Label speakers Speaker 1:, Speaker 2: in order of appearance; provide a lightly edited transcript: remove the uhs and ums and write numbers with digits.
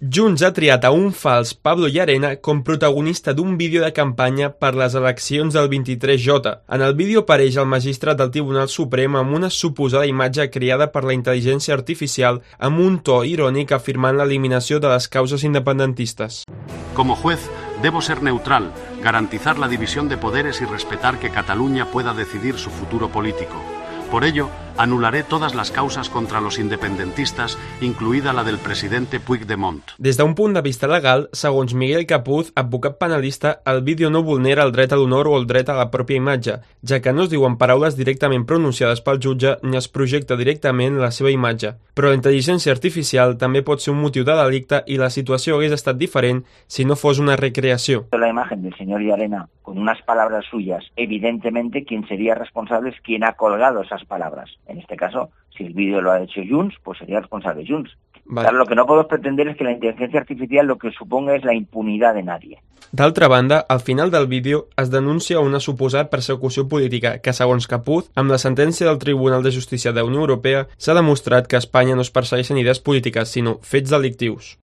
Speaker 1: Junts ha triat a un fals Pablo Llarena com protagonista d'un vídeo de campanya per les eleccions del 23J. En el vídeo apareix el magistrat del Tribunal Suprem amb una suposada imatge creada per la intel·ligència artificial amb un to irònic afirmant l'eliminació de les causes independentistes.
Speaker 2: Como juez, debo ser neutral, garantizar la división de poderes y respetar que Cataluña pueda decidir su futuro político. Por ello, anularé todas las causas contra los independentistas, incluida la del presidente Puigdemont.
Speaker 1: Des d'un punt de vista legal, segons Miguel Capuz, advocat penalista, el vídeo no vulnera el dret a l'honor o el dret a la pròpia imatge, ja que no es diuen paraules directament pronunciades pel jutge ni es projecta directament la seva imatge. Però la intel·ligència artificial també pot ser un motiu de delicte i la situació hagués estat diferent si no fos una recreació.
Speaker 3: La imagen del señor Llarena con unas palabras suyas, evidentemente quien sería responsable es quien ha colgado esas palabras. En este caso, si el vídeo lo ha hecho Junts, pues sería responsable Junts.
Speaker 1: Vale.
Speaker 3: Claro, lo que no podemos pretender es que la inteligencia artificial lo que suponga es la impunidad de nadie.
Speaker 1: D'altra banda, al final del vídeo es denuncia una suposada persecució política que, segons Capuz, amb la sentència del Tribunal de Justícia de la Unió Europea, s'ha demostrat que a Espanya no es persegueixen idees polítiques, sinó fets delictius.